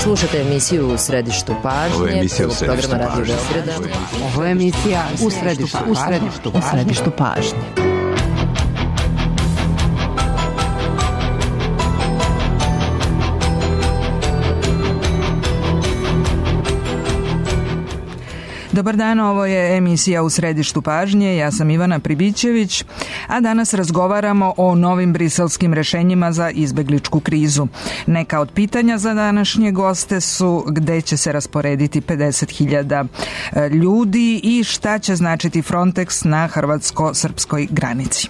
Slušate emisiju U središtu pažnje. Ovo je emisija U središtu programa Radio pažnje. Beograda. Ovo je emisija U središtu pažnje. Dobar dan, ovo je emisija U središtu pažnje, ja sam Ivana Pribićević, a danas razgovaramo o novim briselskim rešenjima za izbegličku krizu. Neka od pitanja za današnje goste su gde će se rasporediti 50.000 ljudi i šta će značiti Frontex na hrvatsko-srpskoj granici.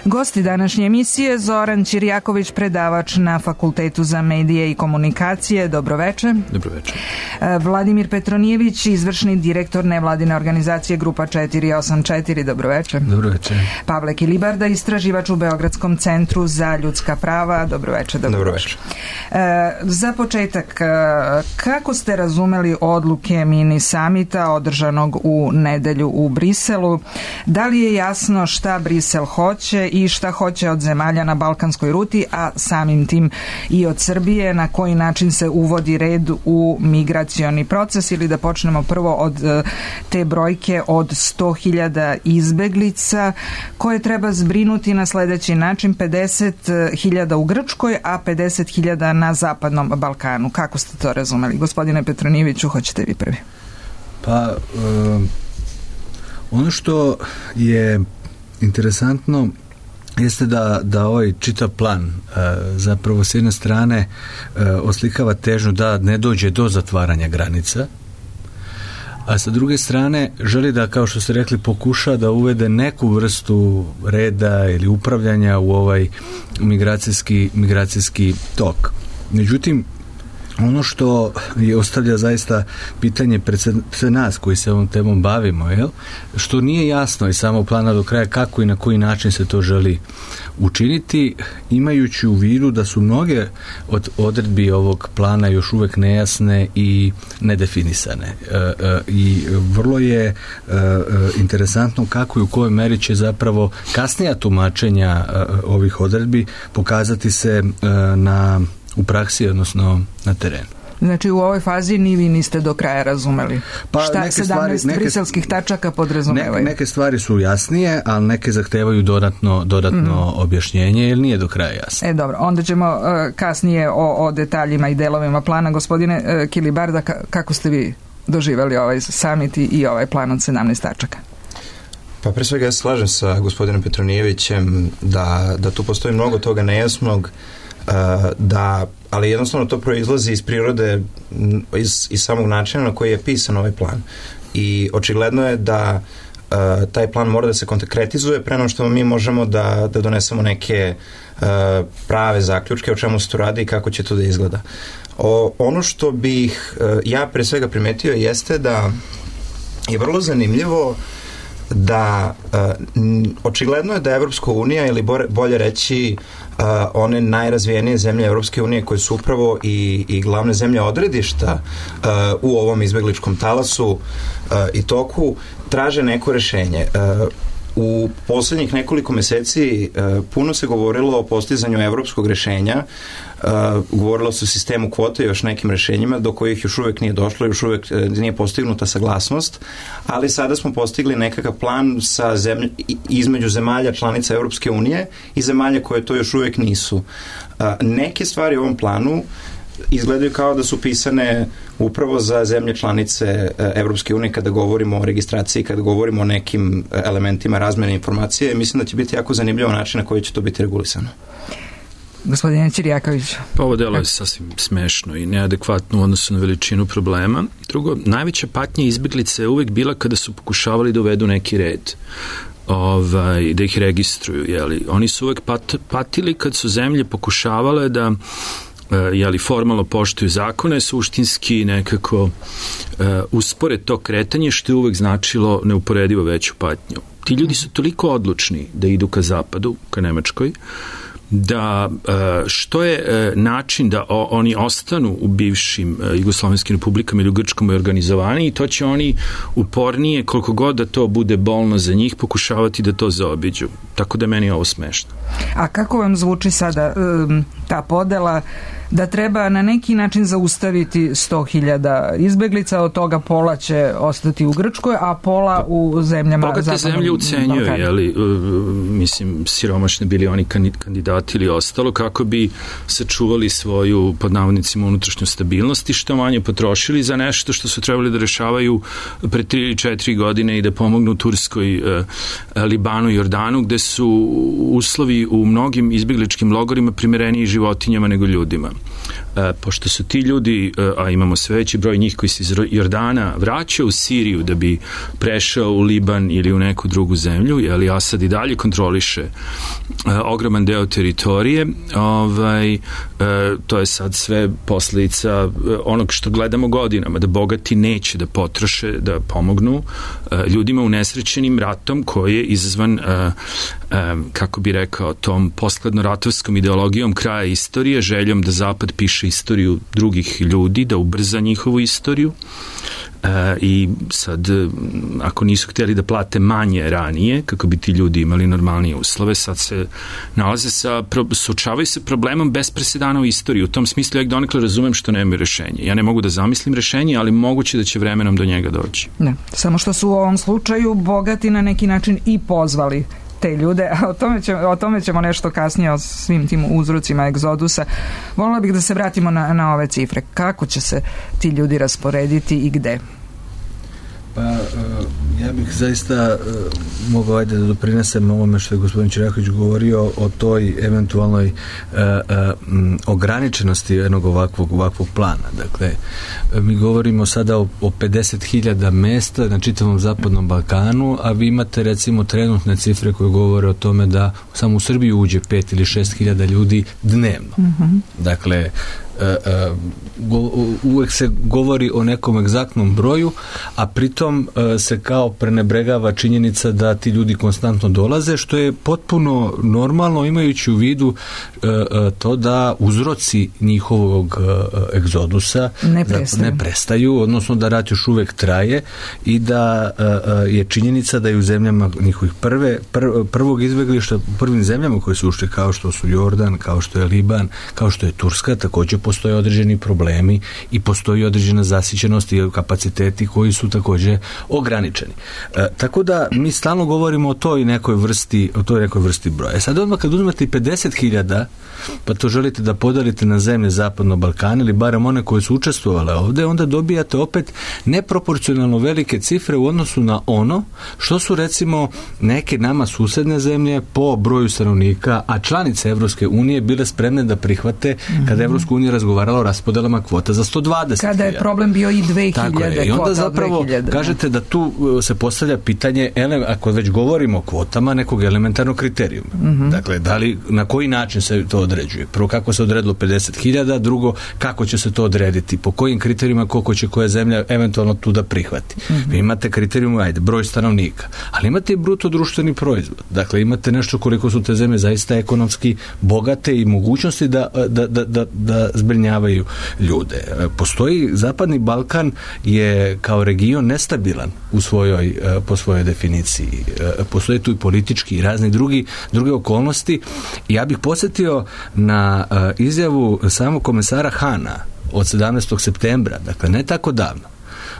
Gosti današnje emisije: Zoran Ćirjaković, predavač na Fakultetu za medije i komunikacije. Dobroveče. Dobroveče. Vladimir Petronijević, izvršni direktor nevladine organizacije Grupa 484. Dobroveče. Dobroveče. Pavle Kilibarda, istraživač u Beogradskom centru za ljudska prava. Dobroveče. Dobroveče. Za početak, kako ste razumeli odluke mini samita održanog u nedelju u Briselu? Da li je jasno šta Brisel hoće i šta hoće od zemalja na balkanskoj ruti, a samim tim i od Srbije, na koji način se uvodi red u migracioni proces? Ili da počnemo prvo od te brojke od 100.000 izbeglica koje treba zbrinuti na sledeći način: 50.000 u Grčkoj, a 50.000 na zapadnom Balkanu. Kako ste to razumeli? Gospodine Petronijeviću, hoćete vi prvi? Pa, ono što je interesantno jeste da ovaj čitav plan zapravo s jedne strane oslikava težnju da ne dođe do zatvaranja granica, a sa druge strane želi da, kao što ste rekli, pokuša da uvede neku vrstu reda ili upravljanja u ovaj migracijski tok. Međutim, ono što je ostavlja zaista pitanje pred nas koji se ovom temom bavimo, što nije jasno iz samog plana do kraja kako i na koji način se to želi učiniti, imajući u vidu da su mnoge od odredbi ovog plana još uvek nejasne i nedefinisane. I vrlo je interesantno kako i u kojoj meri će zapravo kasnija tumačenja ovih odredbi pokazati se u praksi, odnosno na terenu. Znači, u ovoj fazi ni vi niste do kraja razumeli šta 17 briselskih tačaka podrazumevaju. Neke stvari su jasnije, ali neke zahtevaju dodatno objašnjenje, jer nije do kraja jasno. Dobro, onda ćemo kasnije o detaljima i delovima plana. Gospodine Kilibarda, kako ste vi doživjeli ovaj summit i ovaj plan od 17 tačaka? Pa pre svega ja se slažem sa gospodinom Petronijevićem da tu postoji mnogo toga nejasnog, ali jednostavno to proizlazi iz prirode, iz samog načina na koji je pisan ovaj plan. I očigledno je da taj plan mora da se konkretizuje pre nego što mi možemo da donesemo neke prave zaključke o čemu se to radi i kako će to da izgleda. Ono što bih ja pre svega primetio jeste da je vrlo zanimljivo da očigledno je da Evropska unija, ili bolje reći one najrazvijenije zemlje Evropske unije koje su upravo i glavne zemlje odredišta u ovom izbegličkom talasu i toku, traže neko rešenje. U poslednjih nekoliko meseci puno se govorilo o postizanju evropskog rešenja, govorilo se o sistemu kvote i još nekim rešenjima do kojih još uvek nije došlo, još uvek nije postignuta saglasnost, ali sada smo postigli nekakav plan između zemalja članica Evropske unije i zemalja koje to još uvek nisu. Neke stvari u ovom planu izgledaju kao da su pisane upravo za zemlje članice Evropske unije kada govorimo o registraciji, kada govorimo o nekim elementima razmene informacije. Mislim da će biti jako zanimljivo način na koji će to biti regulisano. Gospodine Ćirjaković. Pa ovo delo je sasvim smešno i neadekvatno u odnosu na veličinu problema. Drugo, najveća patnja izbeglice je uvek bila kada su pokušavali da uvedu neki red. Da ih registruju, jeli. Oni su uvek patili kad su zemlje pokušavale da formalno poštuju zakone, suštinski nekako uspore to kretanje, što je uvek značilo neuporedivo veću patnju. Ti ljudi su toliko odlučni da idu ka zapadu, ka Nemačkoj, da što je način da oni ostanu u bivšim jugoslovenskim republikama ili u Grčkom organizovani, i to će oni upornije, koliko god da to bude bolno za njih, pokušavati da to zaobiđu. Tako da meni je ovo smešno. A kako vam zvuči sada ta podela da treba na neki način zaustaviti 100.000 izbeglica, od toga pola će ostati u Grčkoj, a pola u zemljama Bogate zapadnog zemlje ucenjuju, mislim, siromašni bili oni kandidati ili ostalo, kako bi sačuvali svoju, pod navodnicima, unutrašnju stabilnost i što manje potrošili za nešto što su trebali da rešavaju pre 3 ili 4 godine i da pomognu Turskoj, Libanu i Jordanu, gde su uslovi u mnogim izbegličkim logorima primereniji životinjama nego ljudima. Pošto su ti ljudi, a imamo sve veći broj njih koji se iz Jordana vraćaju u Siriju da bi prešao u Liban ili u neku drugu zemlju, jer Asad i dalje kontroliše ogroman deo teritorije, to je sad sve posledica onog što gledamo godinama, da bogati neće da potroše, da pomognu ljudima unesrećenim ratom koji je izazvan, kako bi rekao, tom poskladno-ratovskom ideologijom kraja istorije, željom da Zapad piše istoriju drugih ljudi, da ubrza njihovu istoriju, i sad, ako nisu htjeli da plate manje ranije, kako bi ti ljudi imali normalnije uslove, sad se nalaze suočavaju se problemom bez presedana u istoriji. U tom smislu ja donekle razumem što nemaju rešenje. Ja ne mogu da zamislim rešenje, ali moguće da će vremenom do njega doći. Ne, samo što su u ovom slučaju bogati na neki način i pozvali te ljude, a o tome ćemo nešto kasnije, o svim tim uzrocima egzodusa. Volila bih da se vratimo na ove cifre. Kako će se ti ljudi rasporediti i gde? Pa, ja bih zaista mogao da doprinesem ovome što je gospodin Čiraković govorio o toj eventualnoj ograničenosti jednog ovakvog plana. Dakle, mi govorimo sada o 50.000 mesta na čitavom Zapadnom Balkanu, a vi imate recimo trenutne cifre koje govore o tome da samo u Srbiju uđe 5 ili 6.000 ljudi dnevno. Dakle, uvek se govori o nekom egzaktnom broju, a pritom se kao prenebregava činjenica da ti ljudi konstantno dolaze, što je potpuno normalno, imajući u vidu to da uzroci njihovog egzodusa ne prestaju, odnosno da rat još uvek traje i da je činjenica da je u zemljama njihovih prvog izbeglišta, u prvim zemljama koje su ušli, kao što su Jordan, kao što je Liban, kao što je Turska, također postoje određeni problemi i postoji određena zasićenost i kapaciteti koji su također ograničeni. Tako da mi stalno govorimo o toj nekoj vrsti broja. Sad odmah kad uzmete 50.000, pa to želite da podelite na zemlje Zapadnog Balkana ili barem one koje su učestvovale ovde, onda dobijate opet neproporcionalno velike cifre u odnosu na ono što su recimo neke nama susedne zemlje po broju stanovnika, a članice Evropske unije bile spremne da prihvate kada Evropska unija razgovarala o raspodelama kvota za 120.000. Kada je problem bio i 2.000 Tako je. I onda zapravo 2000. Kažete da tu se postavlja pitanje, ako već govorimo o kvotama, nekog elementarnog kriterijuma. Dakle, na koji način se to određuje? Prvo, kako se odredilo 50.000, drugo, kako će se to odrediti? Po kojim kriterijima koliko će koja zemlja eventualno tu da prihvati? Vi imate kriterijum, broj stanovnika, ali imate i bruto društveni proizvod. Dakle, imate nešto koliko su te zemlje zaista ekonomski bogate i mogućnosti da zbrinjavaju ljude. Postoji, Zapadni Balkan je kao region nestabilan po svojoj definiciji. Postoje tu i politički i razni druge okolnosti. Ja bih podsjetio na izjavu samog komesara Hana od 17. septembra, dakle ne tako davno,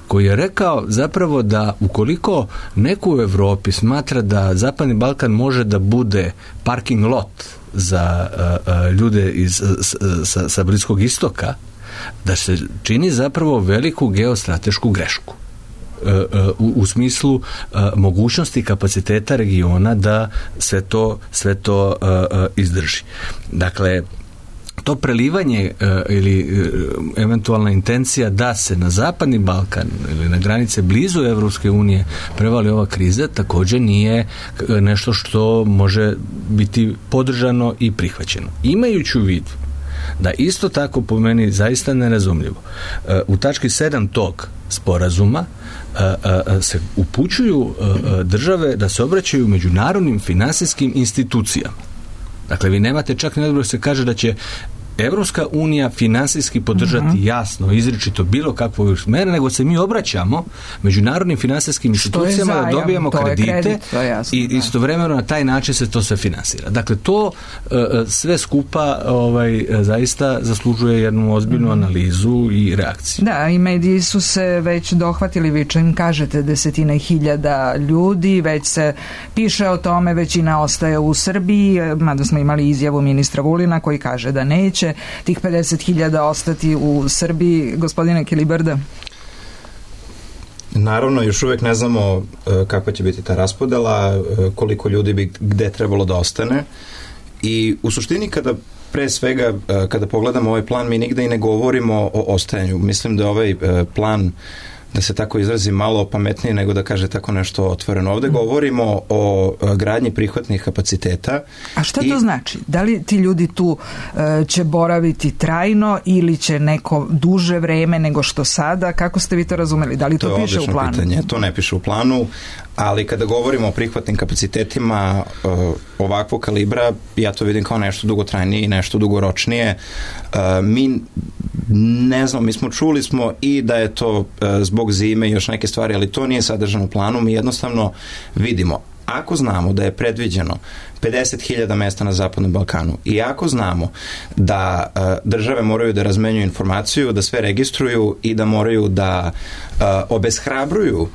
koji je rekao zapravo da ukoliko neko u Evropi smatra da Zapadni Balkan može da bude parking lot za ljude sa Bliskog istoka, da se čini zapravo veliku geostratešku grešku u smislu mogućnosti kapaciteta regiona da sve to izdrži. Dakle, to prelivanje ili eventualna intencija da se na Zapadni Balkan ili na granice blizu Evropske unije prevali ova kriza također nije nešto što može biti podržano i prihvaćeno. Imajući u vidu da isto tako po meni zaista nerazumljivo. U tački 7 tog sporazuma se upućuju države da se obraćaju međunarodnim finansijskim institucijama. Dakle, vi nemate čak ne da se kaže da će Evropska unija finansijski podržati jasno, izričito bilo kakvu mere, nego se mi obraćamo međunarodnim finansijskim institucijama da dobijamo kredite i istovremeno na taj način se to sve finansira. Dakle, to sve skupa zaista zaslužuje jednu ozbiljnu analizu i reakciju. Da, i mediji su se već dohvatili, vi čim kažete 10.000 ljudi, već se piše o tome, većina ostaje u Srbiji, mada smo imali izjavu ministra Vulina koji kaže da neće tih 50.000 ostati u Srbiji. Gospodine Kilibarda? Naravno, još uvek ne znamo kakva će biti ta raspodela, koliko ljudi bi gde trebalo da ostane i u suštini pre svega kada pogledamo ovaj plan mi nigde i ne govorimo o ostajanju. Mislim da je ovaj plan, da se tako izrazi, malo pametnije nego da kaže tako nešto otvoreno. Ovde govorimo o gradnji prihvatnih kapaciteta. A šta to znači? Da li ti ljudi tu će boraviti trajno ili će neko duže vreme nego što sada? Kako ste vi to razumeli? Da li to piše u planu? Pitanje. To ne piše u planu, ali kada govorimo o prihvatnim kapacitetima ovakvog kalibra, ja to vidim kao nešto dugotrajnije i nešto dugoročnije. Mi ne znam, mi čuli smo i da je to zbog zime i još neke stvari, ali to nije sadržano u planu. Mi jednostavno vidimo, ako znamo da je predviđeno 50.000 mesta na Zapadnom Balkanu i ako znamo da države moraju da razmenjuju informaciju, da sve registruju i da moraju da obeshrabruju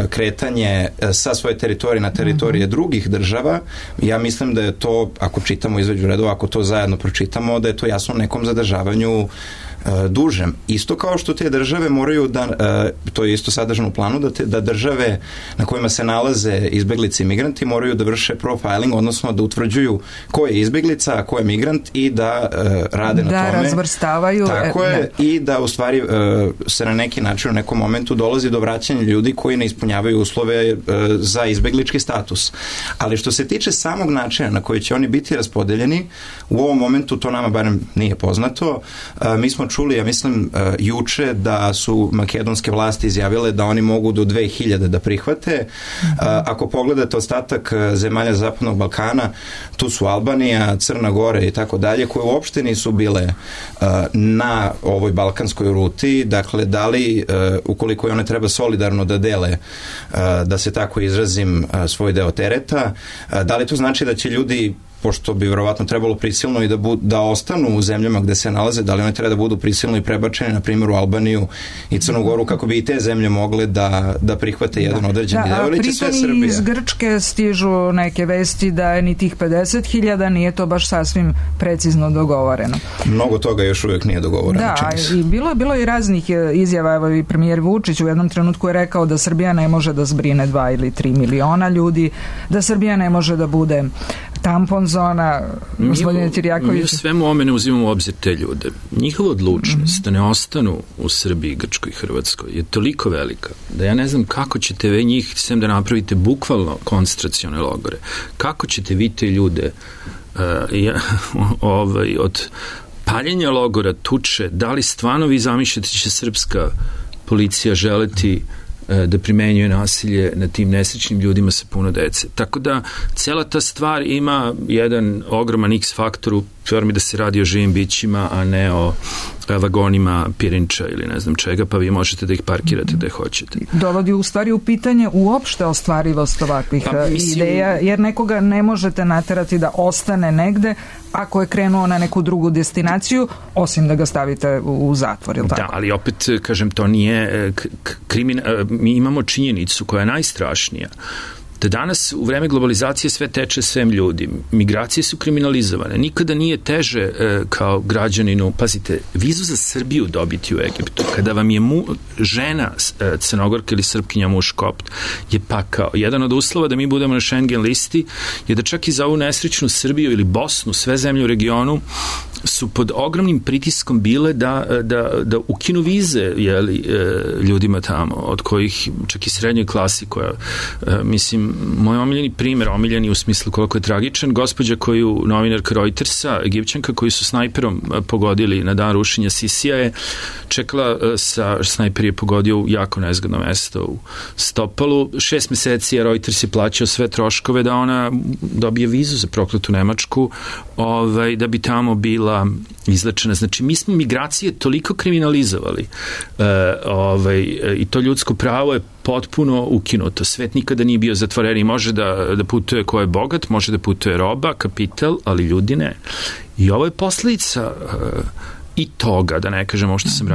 kretanje sa svoje teritorije na teritorije drugih država, ja mislim da je to, ako čitamo između redova, ako to zajedno pročitamo, da je to jasno nekom zadržavanju dužem. Isto kao što te države moraju da, to je isto sadržano u planu, da države na kojima se nalaze izbeglice i migranti moraju da vrše profiling, odnosno da utvrđuju ko je izbeglica, a ko je migrant i da rade na tome. Da razvrstavaju. Tako je, i da u stvari se na neki način u nekom momentu dolazi do vraćanja ljudi koji ne ispunjavaju uslove za izbeglički status. Ali što se tiče samog načina na koji će oni biti raspodeljeni, u ovom momentu to nama barem nije poznato. Mi smo čuli, ja mislim, juče da su makedonske vlasti izjavile da oni mogu do 2000 da prihvate. Ako pogledate ostatak zemalja Zapadnog Balkana, tu su Albanija, Crna Gora i tako dalje, koje uopšte nisu bile na ovoj balkanskoj ruti. Dakle, da li, ukoliko one treba solidarno da dele, da se tako izrazim, svoj deo tereta, da li to znači da će ljudi, pošto bi verovatno trebalo prisilno i da ostanu u zemljama gde se nalaze, da li one treba da budu prisilno i prebačene, na primjer u Albaniju i Crnu Goru, kako bi i te zemlje mogle da prihvate jedan određeni deo, ili će sve Srbija? Iz Grčke stižu neke vesti da je ni tih 50.000 nije to baš sasvim precizno dogovoreno. Mnogo toga još uvijek nije dogovoreno. Da, i bilo i raznih izjava. Evo i premijer Vučić u jednom trenutku je rekao da Srbija ne može da zbrine 2 ili 3 miliona ljudi, da Srbija ne može da bude tampon zona. Gospodine Tirjaković, mi u svemu ome ne uzimamo u obzir te ljude. Njihova odlučnost da ne ostanu u Srbiji, Grčkoj i Hrvatskoj je toliko velika da ja ne znam kako ćete vi njih, sem da napravite bukvalno koncentracione logore, kako ćete vi te ljude od paljenja logora, tuče, da li stvarno vi zamišljate će srpska policija želeti da primenjuje nasilje na tim nesrećnim ljudima sa puno dece. Tako da cela ta stvar ima jedan ogroman X faktor u formi da se radi o živim bićima, a ne o vagonima pirinča ili ne znam čega, pa vi možete da ih parkirate gde hoćete. Dovodi u stvari u pitanje uopšte ostvarivost ovakvih ideja, jer nekoga ne možete naterati da ostane negde ako je krenuo na neku drugu destinaciju, osim da ga stavite u zatvor, ili tako? Da, ali opet, kažem, to nije mi imamo činjenicu koja je najstrašnija, da danas u vreme globalizacije sve teče svem ljudi. Migracije su kriminalizovane. Nikada nije teže kao građaninu, pazite, vizu za Srbiju dobiti u Egiptu, kada vam je žena Crnogorka ili Srpkinja muž kopt, je pakao. Jedan od uslova da mi budemo na Schengen listi je da čak i za ovu nesrećnu Srbiju ili Bosnu, sve zemlje u regionu, su pod ogromnim pritiskom bile da ukinu vize ljudima tamo, od kojih čak i srednjoj klasi koja, mislim, moj omiljeni primer, omiljeni u smislu koliko je tragičan, gospođa koju, novinarka Reutersa, Egipćanka, koju su snajperom pogodili na dan rušenja Sisija, je čekala snajper je pogodio u jako nezgodno mesto u stopalu. 6 meseci je Reuters je plaćao sve troškove da ona dobije vizu za prokletu Nemačku, da bi tamo bila izlečena. Znači, mi smo migracije toliko kriminalizovali i to ljudsko pravo je potpuno ukinuto. Svet nikada nije bio zatvoren i može da putuje ko je bogat, može da putuje roba, kapital, ali ljudi ne. I ovo je posledica i toga, da ne kažem ovo što sam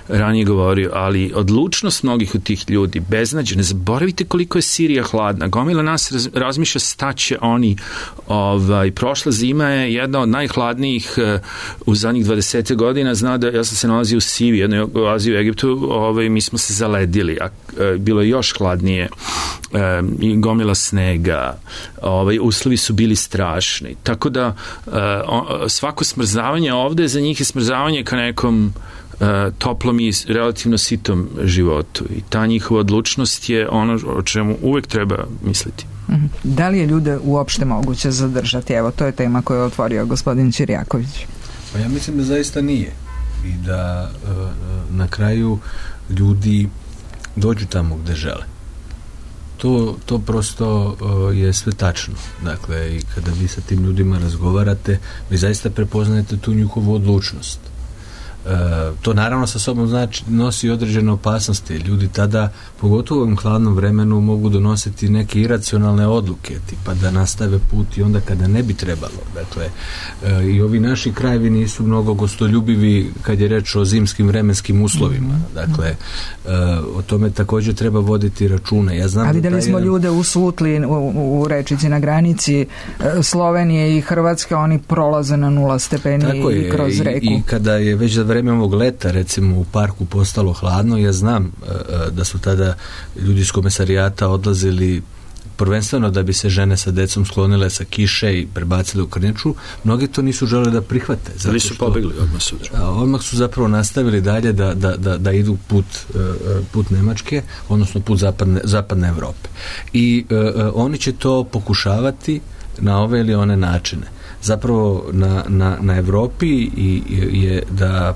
ranije govorio, ali odlučnost mnogih od tih ljudi, beznađe, ne zaboravite koliko je Sirija hladna. Gomila nas razmišlja staće oni. Prošla zima je jedna od najhladnijih u zadnjih 20 godina. Zna da ja sam se nalazio u Sivi, jednoj oazi u Egiptu, mi smo se zaledili, a bilo je još hladnije i gomila snega, uslovi su bili strašni. Tako da svako smrzavanje ovde za njih je smrzavanje ka nekom toplom i relativno sitom životu. I ta njihova odlučnost je ono o čemu uvek treba misliti. Da li je ljude uopšte moguće zadržati? Evo, to je tema koju je otvorio gospodin Ćirjaković. Pa ja mislim da zaista nije. I da na kraju ljudi dođu tamo gde žele. To prosto je sve tačno. Dakle, i kada vi sa tim ljudima razgovarate, vi zaista prepoznajete tu njihovu odlučnost. To naravno sa sobom nosi određene opasnosti. Ljudi tada, pogotovo u ovom hladnom vremenu, mogu donositi neke iracionalne odluke, tipa da nastave put i onda kada ne bi trebalo. Dakle, i ovi naši krajevi nisu mnogo gostoljubivi kad je reč o zimskim vremenskim uslovima. Dakle, o tome također treba voditi računa. Ja znam ali da li smo ljude usutli u rečici na granici Slovenije i Hrvatske, oni prolaze na 0 stepeni i kroz reku. I kada je već za vreme ovog leta, recimo, u parku postalo hladno, ja znam da su tada ljudi iz komesarijata odlazili prvenstveno da bi se žene sa decom sklonile sa kiše i prebacile u Krnjaču. Mnogi to nisu želeli da prihvate. Ali su pobegli odmah sutra. Odmah su zapravo nastavili dalje da idu put Nemačke, odnosno put zapadne Evrope. I oni će to pokušavati na ove ili one načine. Zapravo na Evropi je da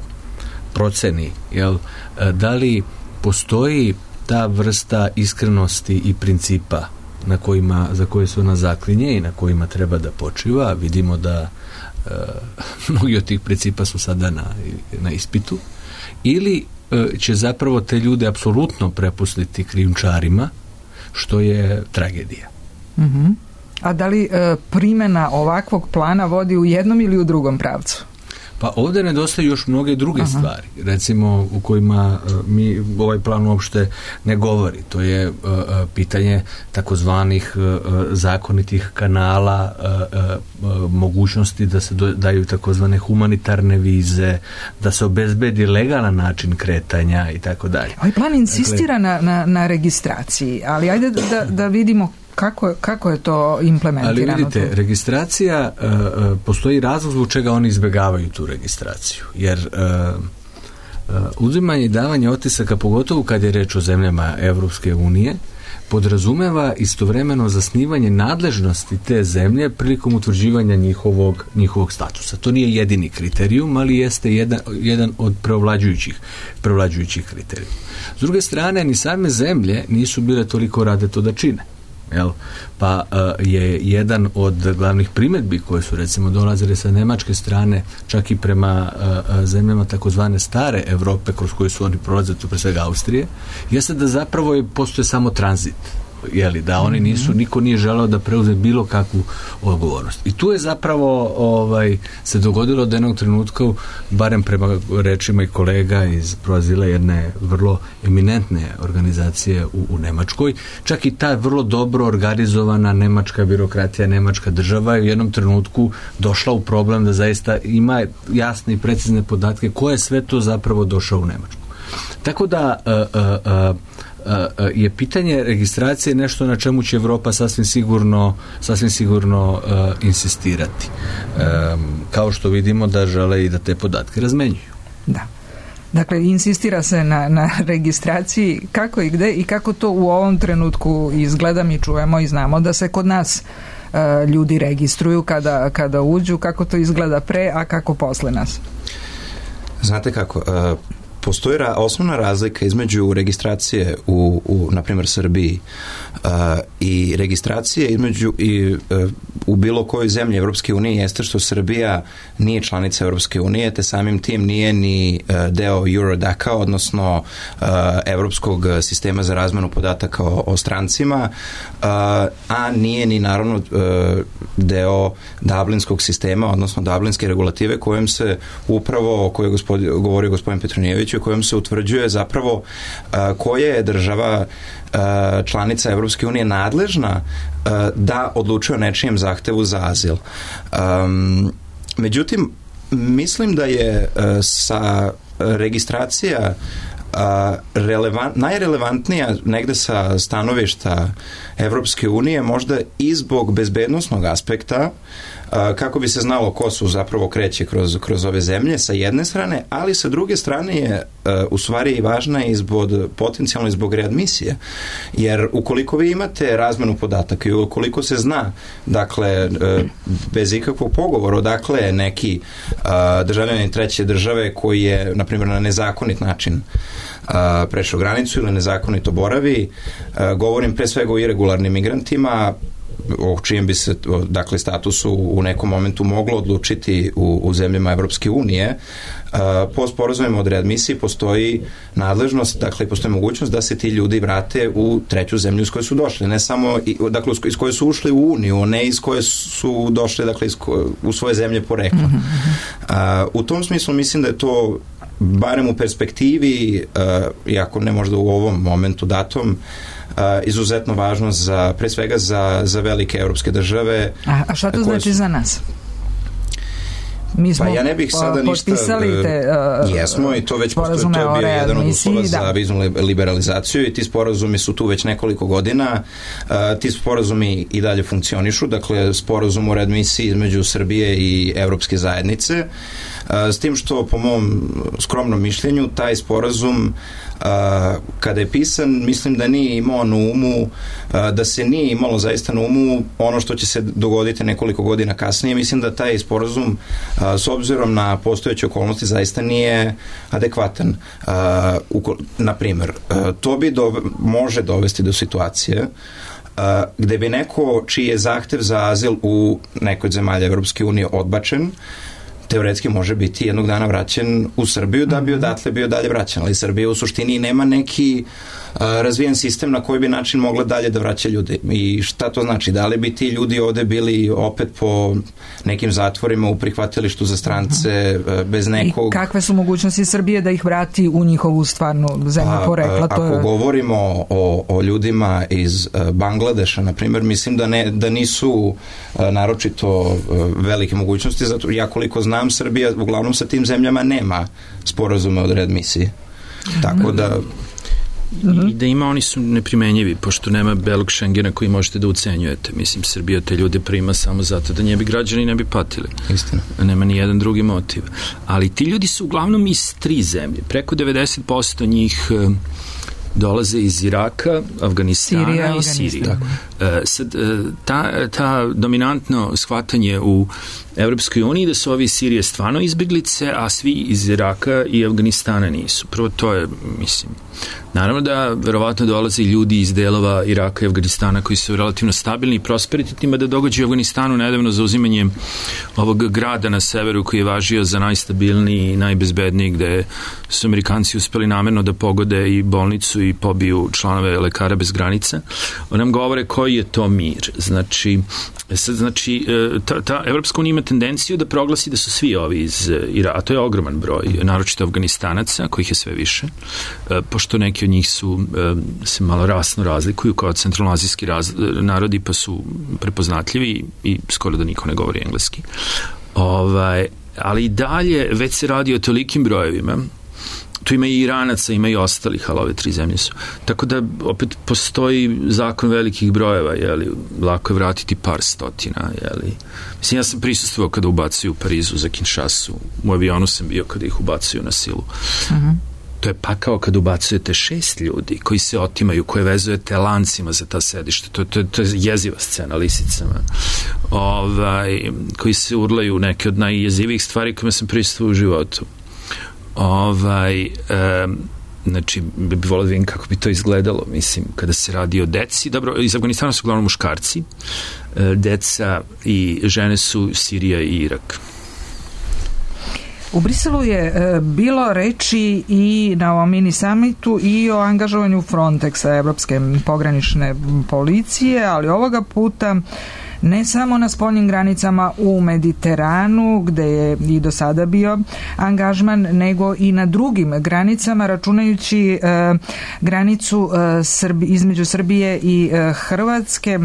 proceni da li postoji ta vrsta iskrenosti i principa za koje se ona zaklinje i na kojima treba da počiva. Vidimo da mnogi od tih principa su sada na ispitu. Ili će zapravo te ljude apsolutno prepustiti krijumčarima, što je tragedija. A da li primjena ovakvog plana vodi u jednom ili u drugom pravcu? Pa ovdje nedostaju još mnoge druge stvari, recimo u kojima mi ovaj plan uopšte ne govori. To je pitanje takozvanih zakonitih kanala, mogućnosti da se daju takozvane humanitarne vize, da se obezbedi legalan način kretanja i tako dalje. Ovaj plan insistira na registraciji, ali ajde da vidimo kako je to implementirano? Ali vidite, registracija, postoji razlog zbog čega oni izbjegavaju tu registraciju. Jer uzimanje i davanje otisaka, pogotovo kad je reč o zemljama Evropske unije, podrazumeva istovremeno zasnivanje nadležnosti te zemlje prilikom utvrđivanja njihovog statusa. To nije jedini kriterijum, ali jeste jedan od preovlađujućih kriterijuma. S druge strane, ni same zemlje nisu bile toliko rade to da čine. Pa je jedan od glavnih primjedbi koje su recimo dolazile sa nemačke strane, čak i prema zemljama takozvane stare Evrope kroz koje su oni prolazili, tu pre svega Austrije, jeste da zapravo postoje samo tranzit. Da oni niko nije želeo da preuzme bilo kakvu odgovornost. I tu je zapravo se dogodilo od jednog trenutka, barem prema rečima i kolega iz Proazila, jedne vrlo eminentne organizacije u Nemačkoj, čak i ta vrlo dobro organizovana nemačka birokratija, nemačka država je u jednom trenutku došla u problem da zaista ima jasne i precizne podatke ko je sve to zapravo došao u Nemačku. Tako da je pitanje registracije nešto na čemu će Evropa sasvim sigurno insistirati. Kao što vidimo da žele i da te podatke razmenjuju. Da. Dakle, insistira se na registraciji. Kako i gde i kako to u ovom trenutku izgleda, mi čujemo i znamo da se kod nas ljudi registruju kada uđu, kako to izgleda pre, a kako posle nas? Znate kako, postoji osnovna razlika između registracije u na primjer Srbiji i registracije u bilo kojoj zemlji Evropske unije jeste što Srbija nije članica Evropske unije, te samim tim nije ni deo Eurodaca, odnosno Evropskog sistema za razmenu podataka o strancima, a nije ni naravno deo Dublinskog sistema, odnosno Dublinske regulative kojom se upravo, o kojoj govorio gospodin Petronijević, u kojem se utvrđuje zapravo koja je država članica Evropske unije nadležna da odlučuje o nečijem zahtevu za azil. Međutim, mislim da je sa registracija najrelevantnija negde sa stanovišta Evropske unije, možda i zbog bezbednosnog aspekta, kako bi se znalo ko su zapravo kreće kroz ove zemlje sa jedne strane, ali sa druge strane je u stvari i važna i potencijalno i zbog readmisije. Jer ukoliko vi imate razmenu podataka i ukoliko se zna, dakle, bez ikakvog pogovora odakle je neki državljanin treće države koji je, na primjer, na nezakonit način prešao granicu ili nezakonito boravi, govorim pre svega o irregularnim migrantima, o čijem bi se, dakle, statusu u nekom momentu moglo odlučiti u zemljama Evropske unije. Po sporazumima od readmisiji postoji nadležnost, dakle, postoji mogućnost da se ti ljudi vrate u treću zemlju iz koje su došli, ne samo, dakle, iz koje su ušli u Uniju, ne iz koje su došli, dakle, u svoje zemlje porekla. U tom smislu mislim da je to, barem u perspektivi, iako ne možda u ovom momentu datom, izuzetno važno pre svega za velike evropske države. A šta to znači za nas? Mi smo ja ne bih sada potpisali te jesmo i to već postoje, to je bio jedan od uslova za viznu liberalizaciju i ti sporazumi su tu već nekoliko godina. Ti sporazumi i dalje funkcionišu, dakle sporazum o readmisiji između Srbije i Evropske zajednice, s tim što po mom skromnom mišljenju taj sporazum kada je pisan, mislim da nije imao na umu, da se nije imalo zaista na umu ono što će se dogoditi nekoliko godina kasnije. Mislim da taj sporazum s obzirom na postojeće okolnosti zaista nije adekvatan. Na primjer, to bi može dovesti do situacije gde bi neko čiji je zahtev za azil u nekoj od zemalja Evropske unije odbačen, teoretski može biti jednog dana vraćen u Srbiju da bi odatle bio dalje vraćen, ali Srbija u suštini nema neki razvijen sistem na koji bi način mogla dalje da vraća ljude. I šta to znači? Da li bi ti ljudi ovde bili opet po nekim zatvorima u prihvatilištu za strance bez nekog... I kakve su mogućnosti Srbije da ih vrati u njihovu stvarnu zemlju porekla? Ako govorimo o ljudima iz Bangladeša, na primjer, mislim da nisu naročito velike mogućnosti, zato ja koliko znam, Srbija uglavnom sa tim zemljama nema sporazume od readmisije. Tako da... I da ima, oni su neprimenjivi, pošto nema belog Šengena koji možete da ucenjujete. Mislim, Srbija te ljude prima samo zato da njebi građani ne bi patili. Istina. Nema ni jedan drugi motiv. Ali ti ljudi su uglavnom iz 3 zemlje. Preko 90% njih dolaze iz Iraka, Afganistana i Sirije. Sad, ta dominantno shvatanje u Evropskoj uniji da su ovi iz Sirije stvarno izbjeglice, a svi iz Iraka i Afganistana nisu. Prvo to je, mislim, naravno da verovatno dolaze ljudi iz delova Iraka i Afganistana koji su relativno stabilni i prosperitetnima, da događaju u Afganistanu nedavno zauzimanje ovog grada na severu koji je važio za najstabilniji i najbezbedniji, gde su Amerikanci uspeli namerno da pogode i bolnicu i pobiju članove Lekara bez granica. Nam govore koji je to mir. Znači, ta Evropska unija ima tendenciju da proglasi da su svi ovi iz Iraka, a to je ogroman broj, naročito Afganistanaca, kojih je sve više, pošto neki od njih se malo rasno razlikuju kao centralnoazijski narodi, pa su prepoznatljivi i skoro da niko ne govori engleski. Ali i dalje već se radi o tolikim brojevima tu ima i Iranaca, ima i ostalih, ali ove 3 zemlje su. Tako da opet postoji zakon velikih brojeva, jeli, lako je vratiti par stotina, jeli. Mislim, ja sam prisustvovao kada ubacuju u Parizu za Kinshasu, u avionu sam bio kada ih ubacuju na silu. To je pakao kad ubacujete 6 ljudi koji se otimaju, koje vezujete lancima za ta sedišta. To je jeziva scena lisicama. Koji se urlaju, neke od najjezivijih stvari kojima sam prisustvovao u životu. Znači, bi volio da vidim kako bi to izgledalo, mislim, kada se radi o deci. Dobro, iz Afganistana su uglavnom muškarci, deca i žene su Sirija i Irak. U Briselu je bilo reči i na ovom mini samitu i o angažovanju Frontexa, Evropske pogranične policije, ali ovoga puta ne samo na spoljnim granicama u Mediteranu, gde je i do sada bio angažman, nego i na drugim granicama, računajući granicu između Srbije i Hrvatske.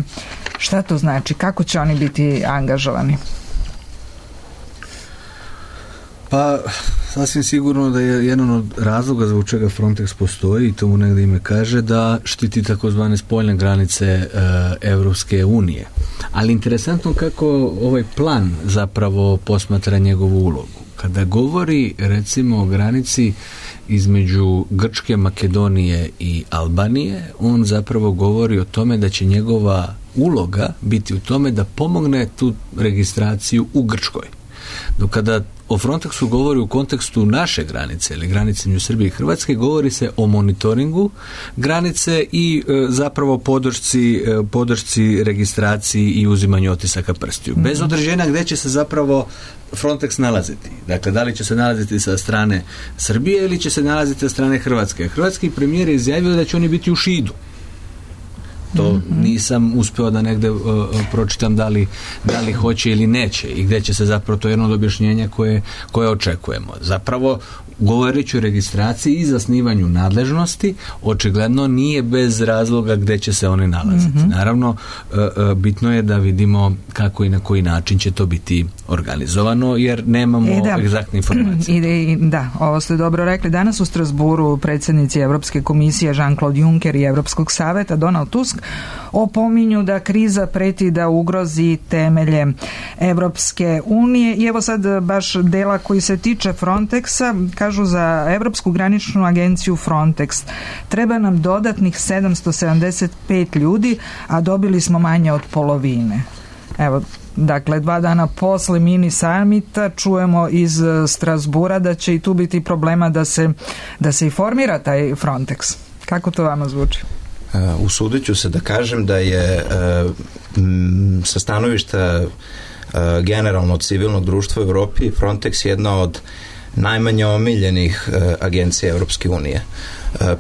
Šta to znači? Kako će oni biti angažovani? Pa, sasvim sigurno da je jedan od razloga zbog čega Frontex postoji, i to mu negdje ime kaže, da štiti takozvane spoljne granice Evropske unije. Ali interesantno kako ovaj plan zapravo posmatra njegovu ulogu. Kada govori, recimo, o granici između Grčke, Makedonije i Albanije, on zapravo govori o tome da će njegova uloga biti u tome da pomogne tu registraciju u Grčkoj. Dok kada o Frontexu govori u kontekstu naše granice ili granice među Srbije i Hrvatske, govori se o monitoringu granice i zapravo podršci registraciji i uzimanju otisaka prstiju. Bez određenja gdje će se zapravo Frontex nalaziti. Dakle, da li će se nalaziti sa strane Srbije ili će se nalaziti sa strane Hrvatske. Hrvatski premijer je izjavio da će oni biti u Šidu. To nisam uspeo da negde pročitam da li hoće ili neće i gdje će se zapravo, to je jedno od objašnjenja koje očekujemo. Zapravo, govoreći o registraciji i zasnivanju nadležnosti, očigledno nije bez razloga gdje će se one nalaziti. Naravno, bitno je da vidimo kako i na koji način će to biti organizovano, jer nemamo egzaktne informacije. Da, ovo ste dobro rekli. Danas u Strasburu predsjednici Evropske komisije Jean-Claude Juncker i Evropskog saveta Donald Tusk opominju da kriza preti da ugrozi temelje Evropske unije. I evo sad baš dela koji se tiče Frontexa, kažu za Evropsku graničnu agenciju Frontex treba nam dodatnih 775 ljudi, a dobili smo manje od polovine. Evo, dakle, 2 dana posle mini samita čujemo iz Strasbura da će i tu biti problema da se i formira taj Frontex. Kako to vama zvuči? Usudit ću se da kažem da je sa stanovišta generalno civilnog društva u Evropi Frontex jedna od najmanje omiljenih agencija Evropske unije.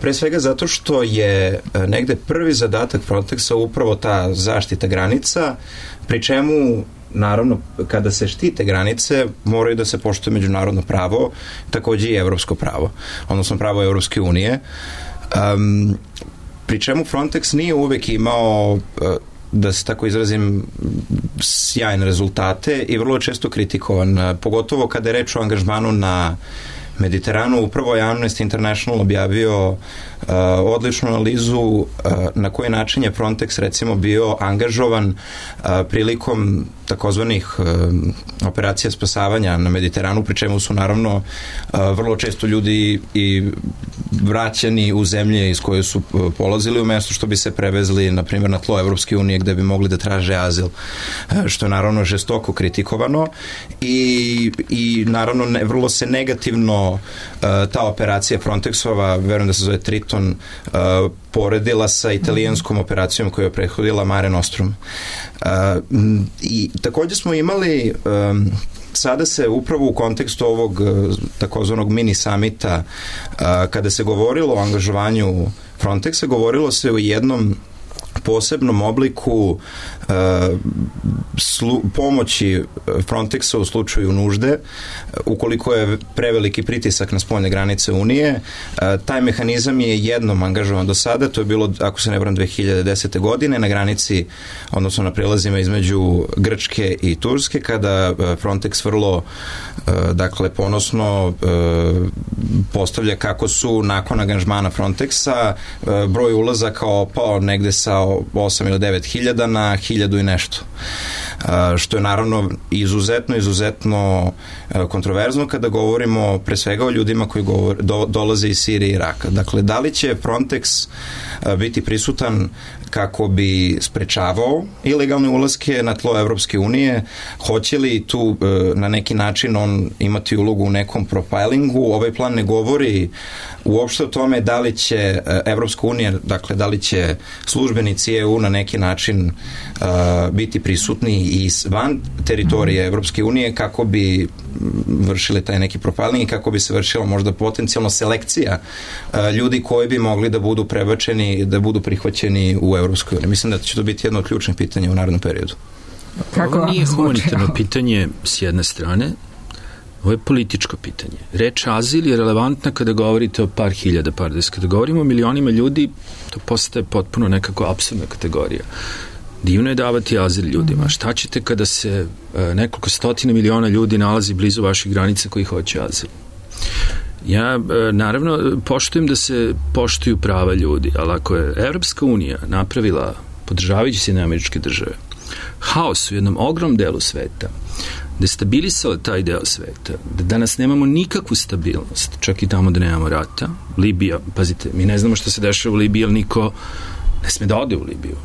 Pre svega zato što je negde prvi zadatak Frontexa upravo ta zaštita granica, pri čemu naravno kada se štite granice moraju da se poštuje međunarodno pravo, takođe i evropsko pravo, odnosno pravo Evropske unije. Pri čemu Frontex nije uvek imao, da se tako izrazim, sjajne rezultate i vrlo često kritikovan, pogotovo kada je reč o angažmanu na Mediteranu. Upravo je Amnesty International objavio odličnu analizu na koji način je Frontex recimo bio angažovan prilikom takozvanih operacija spasavanja na Mediteranu, pri čemu su naravno vrlo često ljudi i vraćani u zemlje iz koje su polazili, umjesto što bi se prevezli na primjer na tlo Evropske unije gde bi mogli da traže azil, što je naravno žestoko kritikovano i naravno vrlo se negativno ta operacija Frontexova, verujem da se zove Triton, poredila sa italijanskom operacijom koja je prethodila Mare Nostrum. I također smo imali sada se upravo u kontekstu ovog takozvanog mini samita, kada se govorilo o angažovanju Frontexa, govorilo se o jednom posebnom obliku pomoći Frontexa u slučaju nužde, ukoliko je preveliki pritisak na spoljne granice Unije. Taj mehanizam je jednom angažovan do sada, to je bilo, ako se ne varam, 2010. godine na granici, odnosno na prelazima između Grčke i Turske, kada Frontex vrlo ponosno postavlja kako su nakon angažmana Frontexa broj ulazaka opao negde sa 8 ili 9 hiljada na 1000 i nešto. Što je naravno izuzetno kontroverzno kada govorimo pre svega o ljudima koji dolaze iz Sirije i Iraka. Dakle, da li će Frontex biti prisutan kako bi sprečavao ilegalne ulaske na tlo Evropske unije? Hoće li tu na neki način on imati ulogu u nekom profilingu? Ovaj plan ne govori uopšte o tome da li će Evropska unija, dakle da li će službenici EU na neki način biti prisutni i van teritorije Evropske unije kako bi vršili taj neki profiling i kako bi se vršila možda potencijalno selekcija ljudi koji bi mogli da budu prebačeni, da budu prihvaćeni u Evropskoj uniji. Mislim da će to biti jedno od ključnih pitanja u narednom periodu. Ovo nije humanitarno pitanje s jedne strane, ovo je političko pitanje. Reč azil je relevantna kada govorite o par hiljada, kada govorimo o milionima ljudi, to postaje potpuno nekako apsurdna kategorija. Divno je davati azil ljudima. Šta ćete kada se nekoliko stotina miliona ljudi nalazi blizu vaših granica koji hoće azil? Ja, naravno, poštujem da se poštuju prava ljudi, ali ako je Evropska unija napravila, podržavajući Sjedinjene Američke Države, haos u jednom ogromnom delu sveta, destabilisala taj deo sveta, da danas nemamo nikakvu stabilnost, čak i tamo da nemamo rata. Libija, pazite, mi ne znamo šta se dešava u Libiji, ali niko ne sme da ode u Libiju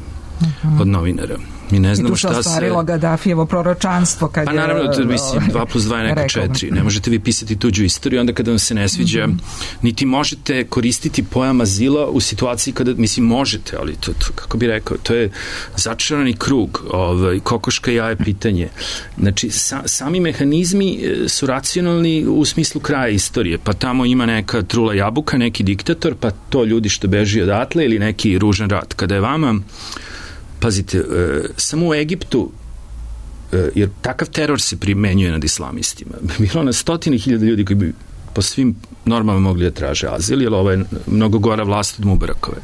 od novinara. Mi ne znamo šta se... I tu se ostvarilo Gaddafijevo proročanstvo kad pa naravno, mislim, 2+2 je neka 4. Ne možete vi pisati tuđu istoriju, onda kada vam se ne sviđa, niti možete koristiti pojam azila u situaciji kada, mislim, možete, ali to kako bi rekao, to je začarani krug, kokoška jaje pitanje. Znači, sami mehanizmi su racionalni u smislu kraja istorije, pa tamo ima neka trula jabuka, neki diktator, pa to ljudi što beži odatle ili neki ružan rat. Kada je vama, pazite, samo u Egiptu, jer takav teror se primenjuje nad islamistima, bilo na 100.000 ljudi koji bi po svim normama mogli da traže azil, jer ovo je mnogo gora vlast od Mubarakove.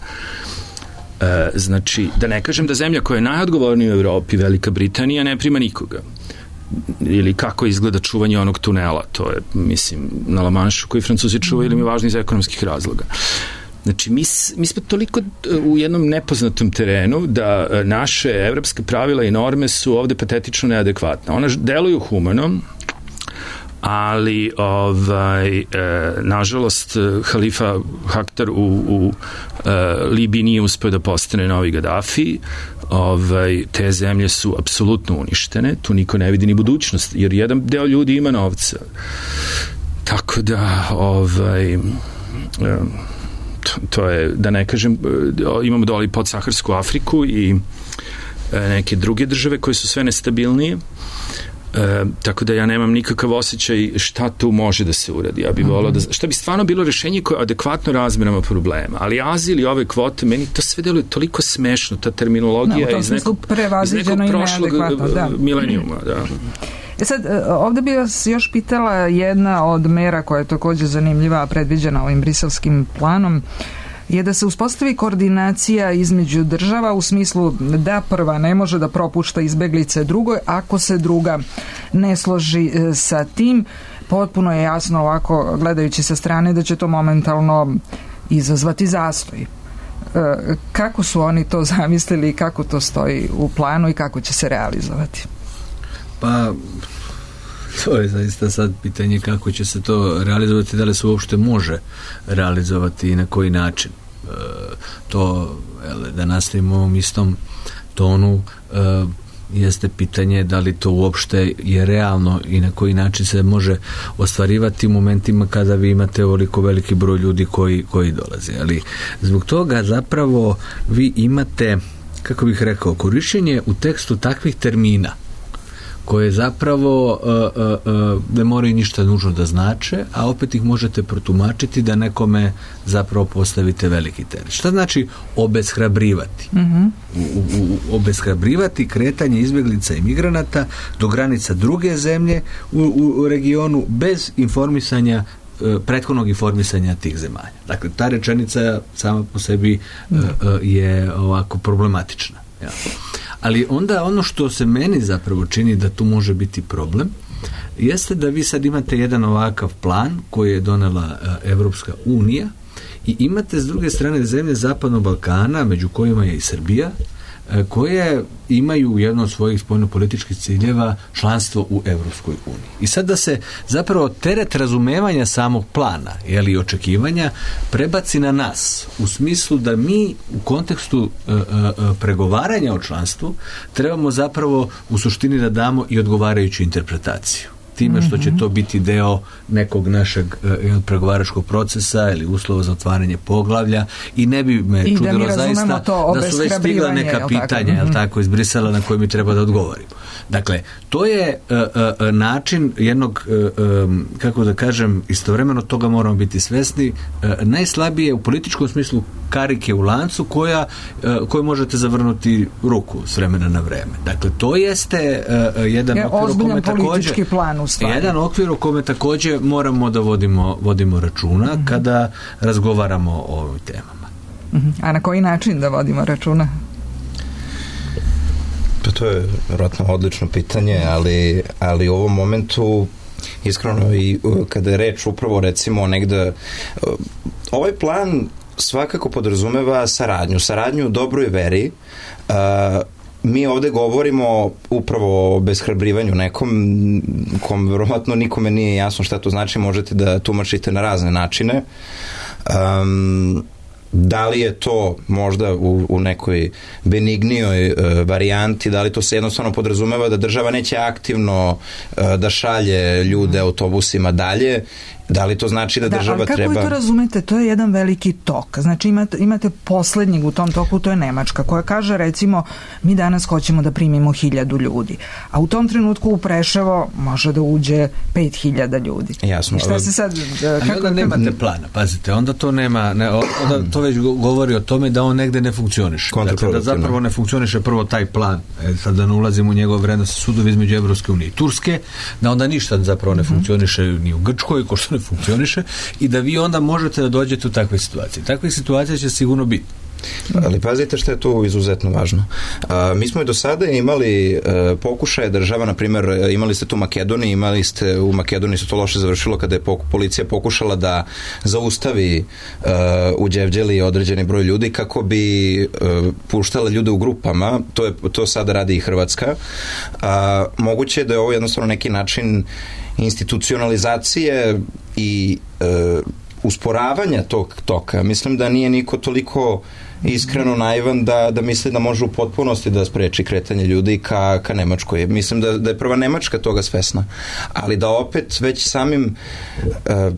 Znači, da ne kažem da zemlja koja je najodgovornija u Evropi, Velika Britanija, ne prima nikoga. Ili kako izgleda čuvanje onog tunela, to je, mislim, na La Manšu koji Francuzi čuvaju, ili mi je važno iz ekonomskih razloga. Znači, mi smo toliko u jednom nepoznatom terenu da naše evropske pravila i norme su ovde patetično neadekvatne. Ona deluju humano, ali nažalost Halifa Haftar u Libiji nije uspeo da postane novi Gaddafi. Te zemlje su apsolutno uništene, tu niko ne vidi ni budućnost, jer jedan deo ljudi ima novca. Tako da to je, da ne kažem, imamo dole i podsaharsku Afriku i neke druge države koje su sve nestabilnije, tako da ja nemam nikakav osjećaj šta tu može da se uradi. Ja bih volao da, šta bi stvarno bilo rešenje koje je adekvatno razmerama problema, ali azil i ove kvote, meni to sve deluje toliko smešno, ta terminologija iz nekog prošlog milenijuma. Da. Sad, ovde bih vas još pitala jedna od mera koja je takođe zanimljiva, a predviđena ovim briselskim planom, je da se uspostavi koordinacija između država u smislu da prva ne može da propušta izbeglice drugoj, ako se druga ne složi sa tim. Potpuno je jasno ovako, gledajući sa strane, da će to momentalno izazvati zastoj. Kako su oni to zamislili i kako to stoji u planu i kako će se realizovati? Pa, to je zaista sad pitanje kako će se to realizovati, da li se uopšte može realizovati i na koji način. To, da nastavimo u ovom istom tonu, jeste pitanje da li to uopšte je realno i na koji način se može ostvarivati u momentima kada vi imate ovoliko veliki broj ljudi koji dolaze. Ali zbog toga zapravo vi imate, kako bih rekao, korišćenje u tekstu takvih termina koje zapravo ne moraju ništa nužno da znače, a opet ih možete protumačiti da nekome zapravo postavite veliki teret. Šta znači obeshrabrivati? Obeshrabrivati kretanje izbjeglica i migranata do granica druge zemlje u regionu bez informisanja, prethodnog informisanja tih zemalja. Dakle, ta rečenica sama po sebi je ovako problematična. Ja. Ali onda ono što se meni zapravo čini da tu može biti problem jeste da vi sad imate jedan ovakav plan koji je donela Evropska unija i imate s druge strane zemlje Zapadnog Balkana, među kojima je i Srbija, koje imaju jedno od svojih spoljnopolitičkih ciljeva članstvo u Evropskoj uniji. I sad da se zapravo teret razumevanja samog plana, i očekivanja, prebaci na nas, u smislu da mi u kontekstu pregovaranja o članstvu trebamo zapravo u suštini da damo i odgovarajuću interpretaciju. Time što će to biti deo nekog našeg pregovaračkog procesa ili uslova za otvaranje poglavlja i ne bi me čudilo zaista da su već stigla neka pitanja, jel tako, iz Brisela na koje mi treba da odgovorimo. Dakle, to je način jednog, kako da kažem, istovremeno toga moramo biti svesni, najslabije u političkom smislu karike u lancu koju možete zavrnuti ruku s vremena na vreme. Dakle, to jeste jedan okvir u kome također jedan okvir u kome također moramo da vodimo računa kada razgovaramo o ovim temama. A na koji način da vodimo računa? Pa to je vjerojatno odlično pitanje, ali u ovom momentu iskreno i kada je reč upravo recimo negde ovaj plan svakako podrazumeva saradnju u dobroj veri. Mi ovde govorimo upravo o obeshrabrivanju nekom kom vjerojatno nikome nije jasno šta to znači, možete da tumačite na razne načine. Da li je to možda u nekoj benignijoj varijanti, da li to se jednostavno podrazumeva da država neće aktivno da šalje ljude autobusima dalje, da li to znači da država treba... Ali kako vi to razumete? To je jedan veliki tok. Znači imate poslednjeg u tom toku, to je Nemačka, koja kaže recimo mi danas hoćemo da primimo 1000 ljudi. A u tom trenutku u Preševo može da uđe 5000 ljudi. Jasno. I šta se sad... onda nemate plana, pazite, onda to nema... onda to već govori o tome da on negde ne funkcioniše. Dakle, da zapravo ne funkcioniše prvo taj plan. Sad da ne ulazimo u njegov vrednost sudovi između Evropske unije i Turske, da onda ništa zapravo ne funkcioniše ni u Grčkoj, ko što ne funkcioniše, i da vi onda možete da dođete u takve situacije. Takve situacije će sigurno biti. Ali pazite što je tu izuzetno važno. Mi smo i do sada imali pokušaje država, na primjer, imali ste tu u Makedoniji se to loše završilo kada je policija pokušala da zaustavi u Đevđeli određeni broj ljudi kako bi puštala ljude u grupama. To sada radi i Hrvatska. Moguće je da je ovo jednostavno neki način institucionalizacije i usporavanja tog toka. Mislim da nije niko toliko iskreno naivan da misli da može u potpunosti da spreči kretanje ljudi ka Nemačkoj. Mislim da je prva Nemačka toga svesna. Ali da opet već samim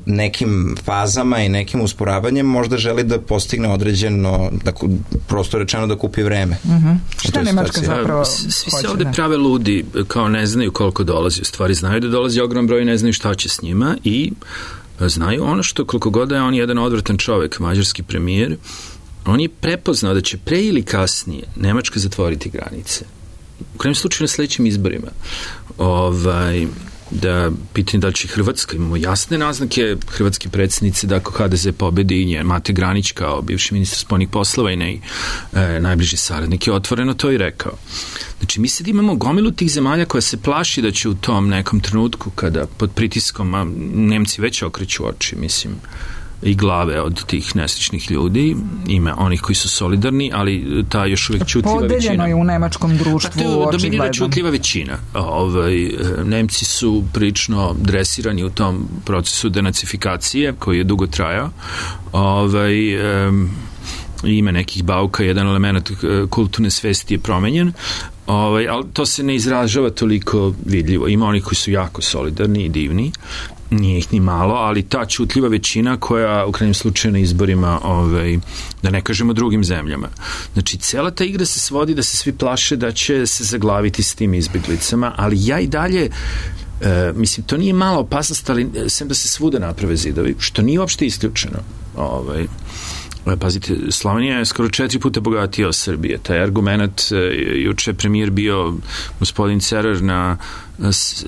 nekim fazama i nekim usporavanjem možda želi da postigne određeno, prosto rečeno da kupi vreme. Šta Nemačka zapravo svi se ovde prave ludi, kao ne znaju koliko dolazi. U stvari znaju da dolazi ogrom broj, ne znaju šta će s njima i znaju ono što koliko god da je on jedan odvratan čovek, mađarski premijer, on je prepoznao da će pre ili kasnije Nemačka zatvoriti granice. U krajem slučaju na sledećim izborima. Da pitanje da li će Hrvatska, imamo jasne naznake hrvatske predsjednice da ako HDZ pobedi i Mate Granić kao bivši ministar spoljnih poslova i najbliži saradnik je otvoreno to i rekao. Znači mi sad imamo gomilu tih zemalja koja se plaši da će u tom nekom trenutku kada pod pritiskom, a Nemci već okreću oči, mislim, i glave od tih nesrećnih ljudi, ima onih koji su solidarni, ali ta još uvijek čutljiva većina. Podeljeno je u nemačkom društvu očigledno. Dominira čutljiva većina. Nemci su prilično dresirani u tom procesu denacifikacije koji je dugo trajao. Ima nekih bauka, jedan element kulturne svesti je promenjen, ali to se ne izražava toliko vidljivo. Ima onih koji su jako solidarni i divni, Nije ih ni malo, ali ta ćutljiva većina koja u krajnjem slučaju na izborima, da ne kažemo drugim zemljama. Znači, cela ta igra se svodi da se svi plaše da će se zaglaviti s tim izbjeglicama, ali ja i dalje mislim, to nije mala opasnost, ali sem da se svuda naprave zidovi, što nije uopšte isključeno. Pazite, Slovenija je skoro 4 puta bogatija od Srbije. Taj argument, juče premijer bio gospodin Cerar na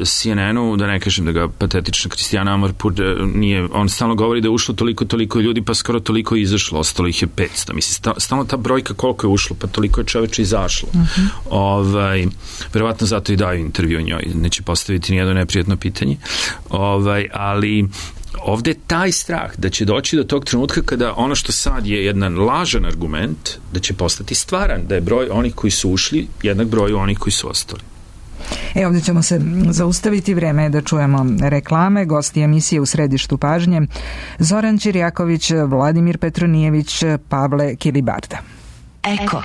CNN-u, da ne kažem da ga patetična Kristijana Amarpur nije, on stalno govori da je ušlo toliko ljudi, pa skoro toliko je izašlo, ostalo ih je 500. Mislim, stalno ta brojka koliko je ušlo, pa toliko je čoveče izašlo. Verovatno zato i daju intervju o njoj, neće postaviti nijedno neprijatno pitanje. Ali ovde je taj strah da će doći do tog trenutka kada ono što sad je jedan lažan argument, da će postati stvaran, da je broj onih koji su ušli jednak broju onih koji su ostali. Ovdje ćemo se zaustaviti, vreme je da čujemo reklame. Gosti emisije U središtu pažnje: Zoran Čirjaković, Vladimir Petronijević, Pavle Kilibarda. Eko.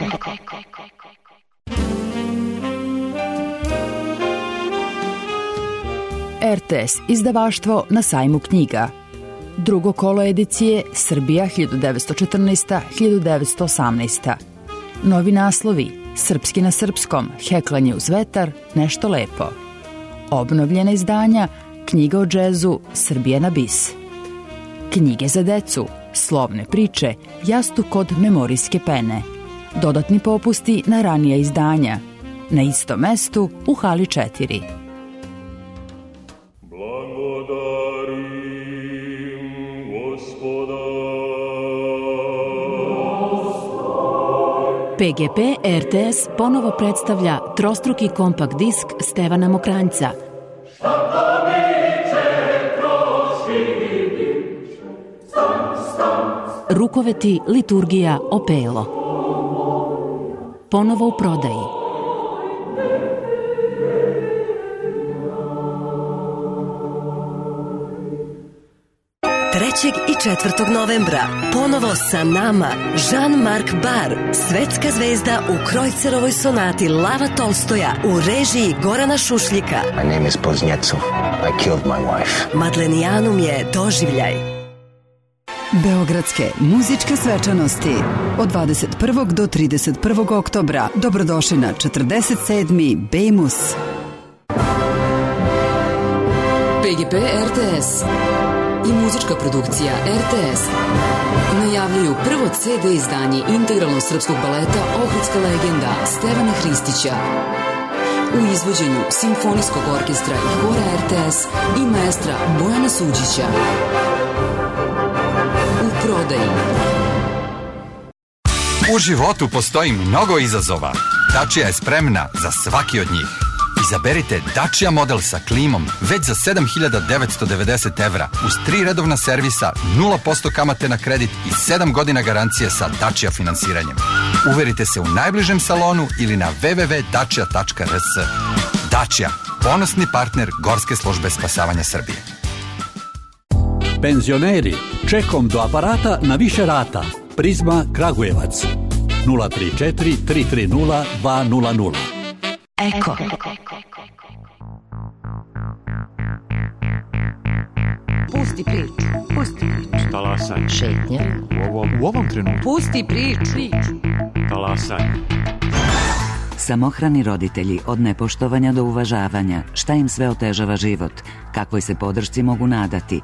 RTS izdavaštvo na sajmu knjiga. Drugo kolo edicije Srbija 1914-1918. Novi naslovi: Srpski na srpskom, Heklanje uz vetar, Nešto lepo. Obnovljena izdanja: Knjiga o džezu, Srbija na bis. Knjige za decu, Slovne priče, Jastuk kod memorijske pene. Dodatni popusti na ranija izdanja. Na istom mestu u hali 4. PGP RTS ponovo predstavlja trostruki kompakt disk Stevana Mokranjca. Rukoveti, liturgija, opelo. Ponovo u prodaji. I 4. novembra ponovo sa nama Jean-Marc Barr, svetska zvezda u Krojcerovoj sonati Lava Tolstoja u režiji Gorana Šušljika. My name is Poznjecov. I killed my wife. Madlenijanum je doživljaj. Beogradske muzičke svečanosti od 21. do 31. oktobra. Dobrodošli na 47. Bejmus. PGP RTS i muzička produkcija RTS najavljuju prvo CD izdanje integralnog srpskog baleta Ohridska legenda Stevana Hristića u izvođenju Simfonijskog orkestra i hora RTS i maestra Bojana Suđića. U prodaji. U životu postoji mnogo izazova. Dacia je spremna za svaki od njih. Izaberite Dacia model sa klimom već za 7.990 evra uz 3 redovna servisa, 0% kamate na kredit i 7 godina garancije sa Dacia finansiranjem. Uverite se u najbližem salonu ili na www.dacia.rs. Dacia, ponosni partner Gorske službe spasavanja Srbije. Penzioneri, čekom do aparata na više rata. Prizma Kragujevac 034 330 200. Eko. Pusti priču. Talasaj. Šetnja. U ovom trenutku. Pusti priču. Talasaj. Samohrani roditelji, od nepoštovanja do uvažavanja, šta im sve otežava život, kakvoj se podršci mogu nadati.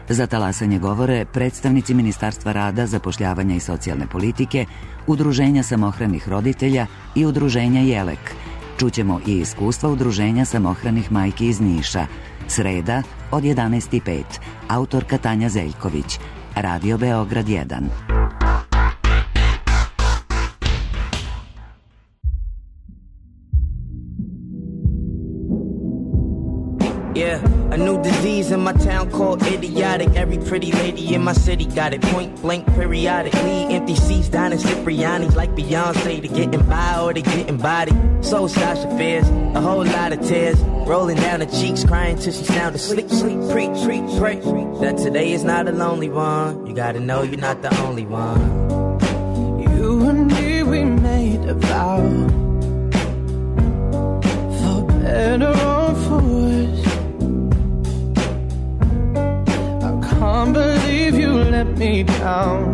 Za talasanje govore predstavnici Ministarstva rada, zapošljavanja i socijalne politike, Udruženja samohranih roditelja i Udruženja Jelek. Čućemo i iskustva Udruženja samohranih majki iz Niša. Sreda od 11:05. Autorka Tanja Zeljković. Radio Beograd 1. Yeah, a new disease in my town called idiotic. Every pretty lady in my city got it, point blank periodically. Empty seats down in Cipriani's like Beyonce. To getting by or to getting body. So Sasha Fierce, a whole lot of tears rolling down her cheeks, crying till she sound asleep. Preach, pray that today is not a lonely one. You gotta know you're not the only one. You and me, we made a vow, for better or for worse. can't believe you let me down,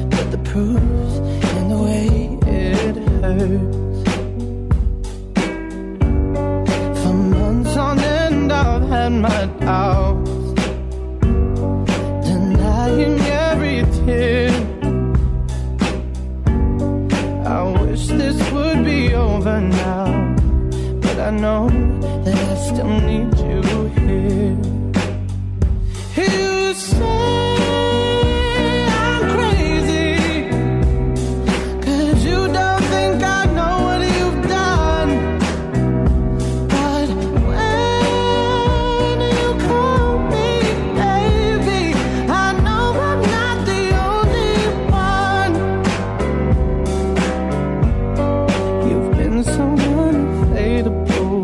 but the proof's in the way it hurts. For months on end I've had my doubts, denying every tear. I wish this would be over now, but I know that I still need you here. You say I'm crazy, 'cause you don't think I know what you've done. But when you call me baby, I know I'm not the only one. You've been so unfadable.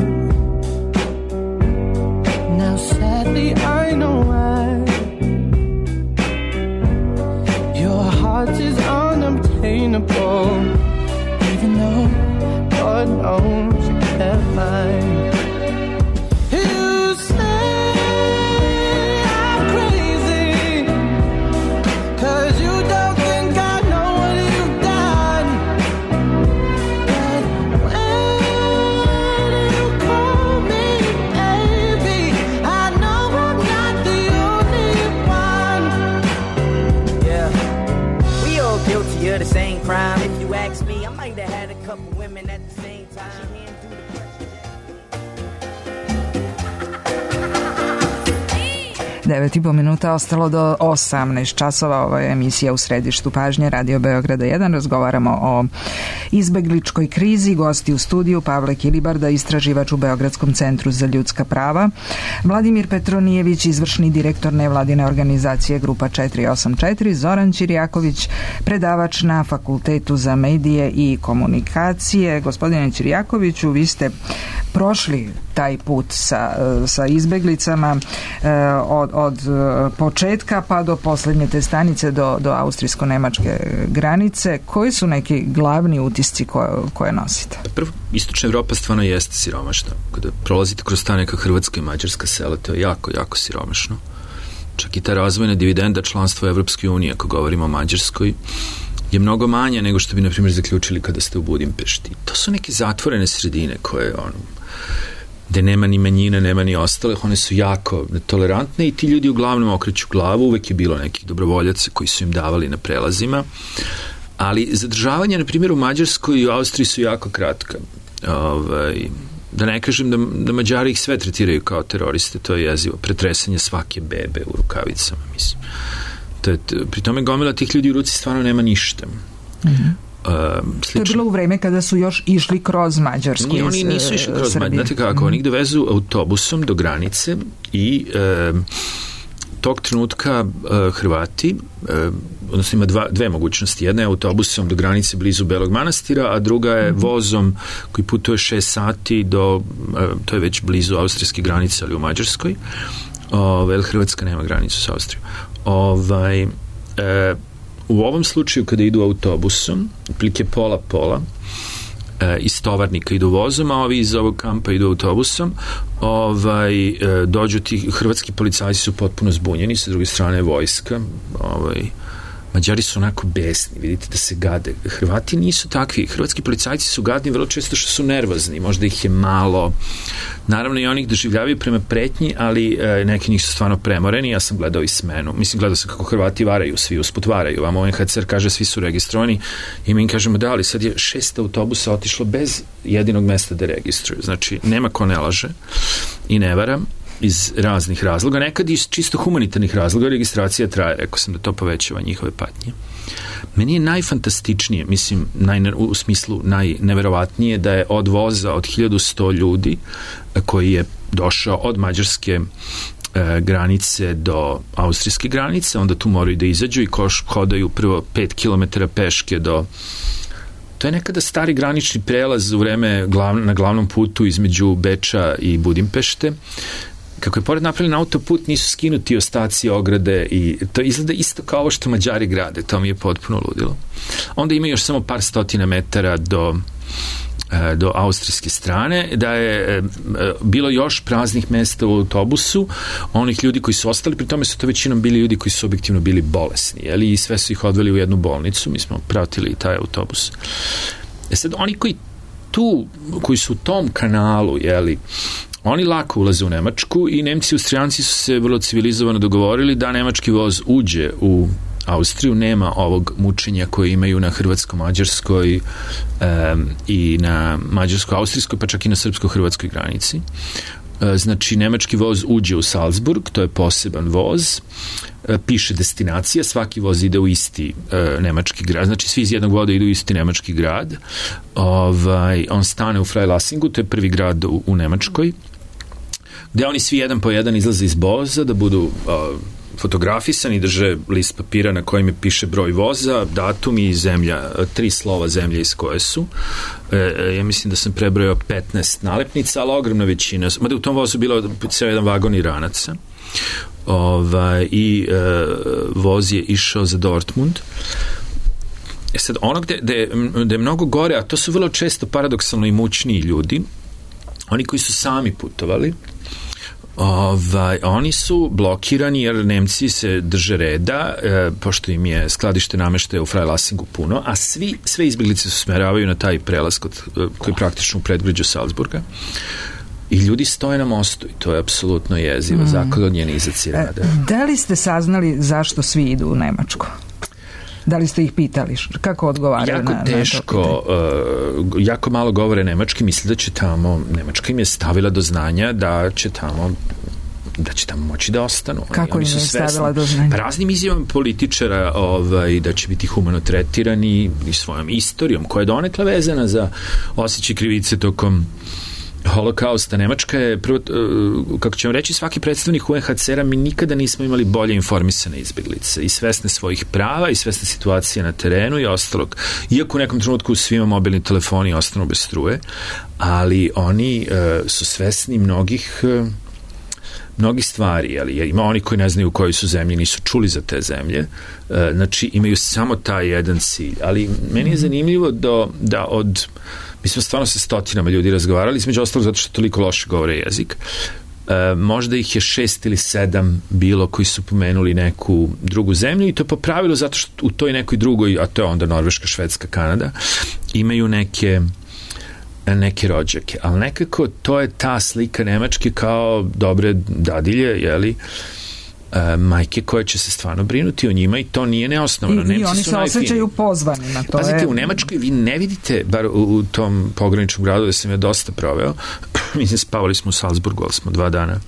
Now sadly I know why. Your heart is unobtainable, even though God knows you kept mine. You say I'm crazy, 'cause you don't think I know what you've done. But when you call me baby, I know I'm not the only one. Yeah, we all guilty of the same crime. If you ask me, I might have had a couple women at the same time. 9,5 minuta ostalo do 18 časova. Ovo je emisija U središtu pažnje Radio Beograda 1. Razgovaramo o izbegličkoj krizi. Gosti u studiju Pavle Kilibarda, istraživač u Beogradskom centru za ljudska prava, Vladimir Petronijević, izvršni direktor nevladine organizacije Grupa 484, Zoran Ćirjaković, predavač na Fakultetu za medije i komunikacije. Gospodine Ćirjakoviću, vi ste prošli taj put sa izbeglicama od početka pa do posljednje te stanice, do austrijsko-nemačke granice. Koji su neki glavni utisci koje nosite? Prvo, istočna Evropa stvarno jeste siromašna. Kada prolazite kroz ta neka hrvatska i mađarska sela, to je jako, jako siromašno. Čak i ta razvojna dividenda članstva Evropske unije, ako govorimo o Mađarskoj, je mnogo manja nego što bi, na primjer, zaključili kada ste u Budimpešti. To su neke zatvorene sredine koje, gde nema ni manjina, nema ni ostalih, one su jako tolerantne i ti ljudi uglavnom okreću glavu. Uvek je bilo nekih dobrovoljaca koji su im davali na prelazima, ali zadržavanje, na primjer, u Mađarskoj i u Austriji su jako kratka. Da ne kažem da Mađari ih sve tretiraju kao teroriste, to je jezivo. Pretresanje svake bebe u rukavicama, mislim. Pri tome gomila tih ljudi u ruci stvarno nema ništa. To je bilo u vreme kada su još išli kroz Mađarsku. Oni nisu išli kroz Mađarsku. Znate kako, oni ih dovezu autobusom do granice i tog trenutka Hrvati, odnosno ima dve mogućnosti. Jedna je autobusom do granice blizu Belog Manastira, a druga je vozom koji putuje 6 sati do, to je već blizu austrijske granice, ali u Mađarskoj. Hrvatska nema granicu s Austrijom. U ovom slučaju kada idu autobusom, otprilike pola, iz Tovarnika idu vozom, a ovi iz ovog kampa idu autobusom, dođu ti, hrvatski policajci su potpuno zbunjeni, sa druge strane vojska, Mađari su onako besni, vidite da se gade. Hrvati nisu takvi. Hrvatski policajci su gadni vrlo često što su nervozni. Možda ih je malo. Naravno i oni ih doživljavaju prema pretnji, ali neki njih su stvarno premoreni. Ja sam gledao i smenu. Mislim, gledao sam kako Hrvati varaju, svi usput varaju. Vam UNHCR kaže svi su registrovani i mi im kažemo da, ali sad je 6 autobusa otišlo bez jedinog mesta da registruju. Znači, nema ko ne laže i ne vara iz raznih razloga, nekad iz čisto humanitarnih razloga. Registracija traje, rekao sam da to povećava njihove patnje. Meni je najfantastičnije, mislim, u smislu najneverovatnije da je od voza od 1100 ljudi koji je došao od mađarske granice do austrijske granice, onda tu moraju da izađu i hodaju prvo 5 km peške do... To je nekada stari granični prelaz u vreme na glavnom putu između Beča i Budimpešte. Kako je pored napravljen autoput, nisu skinuti ostaci ograde i to izgleda isto kao ovo što Mađari grade. To mi je potpuno ludilo. Onda ima još samo par stotina metara do do austrijske strane, da je bilo još praznih mesta u autobusu, onih ljudi koji su ostali, pri tome su to većinom bili ljudi koji su objektivno bili bolesni, jeli, i sve su ih odveli u jednu bolnicu, mi smo pratili taj autobus. Sad, oni koji su u tom kanalu, jeli, oni lako ulaze u Nemačku i Nemci i Austrijanci su se vrlo civilizovano dogovorili da nemački voz uđe u Austriju, nema ovog mučenja koje imaju na hrvatsko-mađarskoj i na mađarsko-austrijskoj, pa čak i na srpsko-hrvatskoj granici. Znači, nemački voz uđe u Salzburg, to je poseban voz, piše destinacija, svaki voz ide u isti nemački grad, znači svi iz jednog voda idu u isti nemački grad. On stane u Freilassingu, to je prvi grad u Nemačkoj, gde oni svi jedan po jedan izlaze iz voza da budu fotografisani, drže list papira na kojem piše broj voza, datum i zemlja, 3 slova zemlje iz koje su. Ja mislim da sam prebrojao 15 nalepnica, ali ogromna većina, mada u tom vozu bilo ceo jedan vagon Iranaca. I voz je išao za Dortmund. Sad, ono gde je mnogo gore, a to su vrlo često paradoksalno imućniji ljudi, oni koji su sami putovali, oni su blokirani jer Nemci se drže reda, pošto im je skladište nameštaja u Freilassingu puno, a sve izbjeglice se smeravaju na taj prelaz koji je praktično u predgrađu Salzburga. I ljudi stoje na mostu i to je apsolutno jezivo, zaklonjenizaci rada. Da li ste saznali zašto svi idu u Nemačku? Da li ste ih pitali? Kako odgovaraju jako teško, jako malo govore nemački, misle da će tamo, Nemačka im je stavila do znanja da će tamo moći da ostanu. Kako im je stavila do znanja? Raznim izjavama političara da će biti humano tretirani i svojom istorijom, koja je donekle vezana za osjećaj krivice tokom Holokausta. Nemačka je, prvo, kako ćemo reći, svaki predstavnik UNHCR-a, mi nikada nismo imali bolje informisane izbjeglice i svesne svojih prava i svesne situacije na terenu i ostalog. Iako u nekom trenutku svima mobilni telefoni ostanu bez struje, ali oni su svesni mnogih stvari, ali ima oni koji ne znaju u kojoj su zemlji, nisu čuli za te zemlje, znači imaju samo taj jedan cilj. Ali meni je zanimljivo da mi smo stvarno sa stotinama ljudi razgovarali, između ostalog zato što toliko loše govore jezik. Možda ih je 6 ili 7 bilo koji su pomenuli neku drugu zemlju i to po pravilu zato što u toj nekoj drugoj, a to je onda Norveška, Švedska, Kanada, imaju neke rođake, ali nekako to je ta slika Nemačke kao dobre dadilje, jeli, majke koje će se stvarno brinuti o njima i to nije neosnovano. I oni se osjećaju pozvanima. Pazite, u Nemačkoj vi ne vidite, bar u tom pograničnom gradu gde sam ja dosta proveo, mislim, spavali smo u Salzburgu, ali smo 2 dana,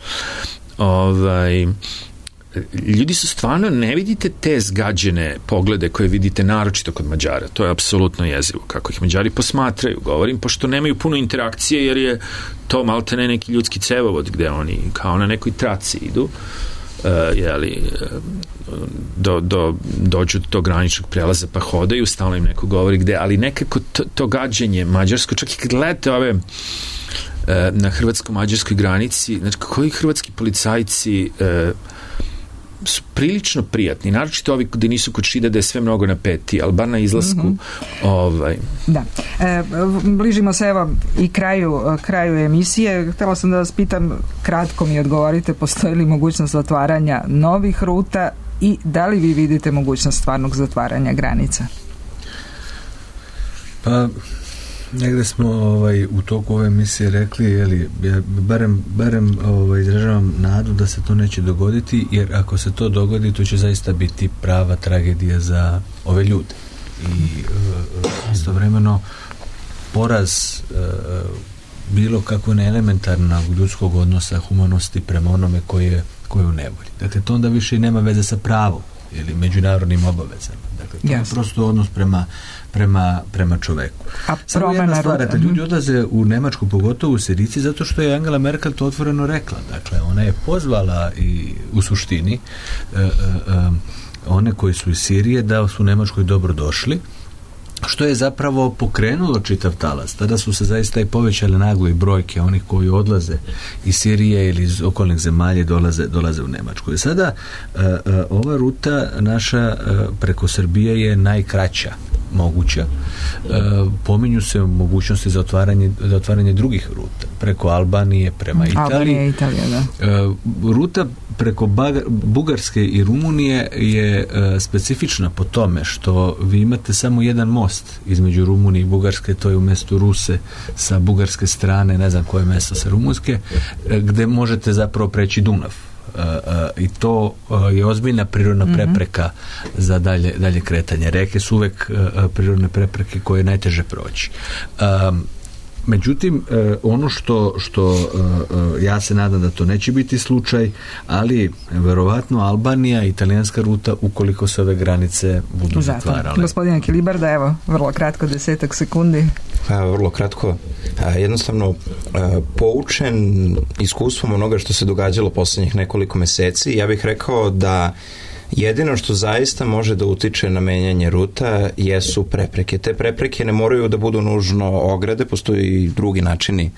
ljudi su stvarno, ne vidite te zgađene poglede koje vidite naročito kod Mađara. To je apsolutno jezivo kako ih Mađari posmatraju, govorim, pošto nemaju puno interakcije jer je to maltene neki ljudski cevovod gde oni kao na nekoj traci idu, dođu do tog graničnog prelaza pa hodaju, stalno im neko govori gde, ali nekako to gađenje mađarsko, čak i kad gledate ove na hrvatsko-mađarskoj granici, znači koji hrvatski policajci su prilično prijatni, naročito ovi gde nisu kod Šida, da je sve mnogo napeti, ali bar na izlasku Da. Bližimo se evo i kraju emisije. Htjela sam da vas pitam, kratko mi odgovorite, postoji li mogućnost otvaranja novih ruta i da li vi vidite mogućnost stvarnog zatvaranja granica? Pa negde smo u toku ove emisije rekli, ja barem izražavam nadu da se to neće dogoditi, jer ako se to dogodi, to će zaista biti prava tragedija za ove ljude. I istovremeno poraz bilo kako neelementarnog ljudskog odnosa, humanosti prema onome koji je u nevolji. Dakle, to onda više i nema veze sa pravom ili međunarodnim obavezama. Dakle, to je prosto odnos prema čoveku. Samo jedna stvar, da ljudi odlaze u Nemačku, pogotovo u Sirijci, zato što je Angela Merkel to otvoreno rekla. Dakle, ona je pozvala i u suštini one koji su iz Sirije da su u Nemačkoj dobro došli, što je zapravo pokrenulo čitav talas. Tada su se zaista i povećale naglo i brojke onih koji odlaze iz Sirije ili iz okolnih zemalja dolaze u Nemačku. I sada ova ruta naša preko Srbije je najkraća moguća. Pominju se mogućnosti za otvaranje drugih ruta preko Albanije prema Italiji. Albanija i Italija, da. Ruta preko Bugarske i Rumunije je specifična po tome što vi imate samo jedan most između Rumunije i Bugarske, to je u mestu Ruse sa bugarske strane, ne znam koje mesto sa rumunske, gde možete zapravo preći Dunav. I to je ozbiljna prirodna prepreka za dalje kretanje. Reke su uvek prirodne prepreke koje je najteže proći. Međutim, ono što ja se nadam da to neće biti slučaj, ali verovatno Albanija i italijanska ruta ukoliko se ove granice budu zatvarale. Gospodine Kilibarda, evo, vrlo kratko, 10 sekundi. Vrlo kratko. Jednostavno, poučen iskustvom onoga što se događalo poslednjih nekoliko meseci, ja bih rekao da jedino što zaista može da utiče na menjanje ruta jesu prepreke. Te prepreke ne moraju da budu nužno ograde, postoji i drugi načini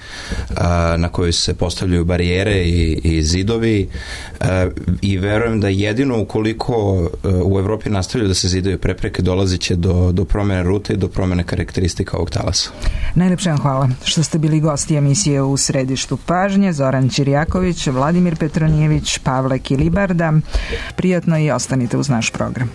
na koji se postavljaju barijere i zidovi i verujem da jedino ukoliko u Evropi nastavljaju da se zidaju prepreke, dolazit će do promene rute i do promene karakteristika ovog talasa. Najlepše vam hvala što ste bili gosti emisije U središtu pažnje. Zoran Ćirjaković, Vladimir Petronijević, Pavle Kilibarda. Prijatno i ostanite uz naš program.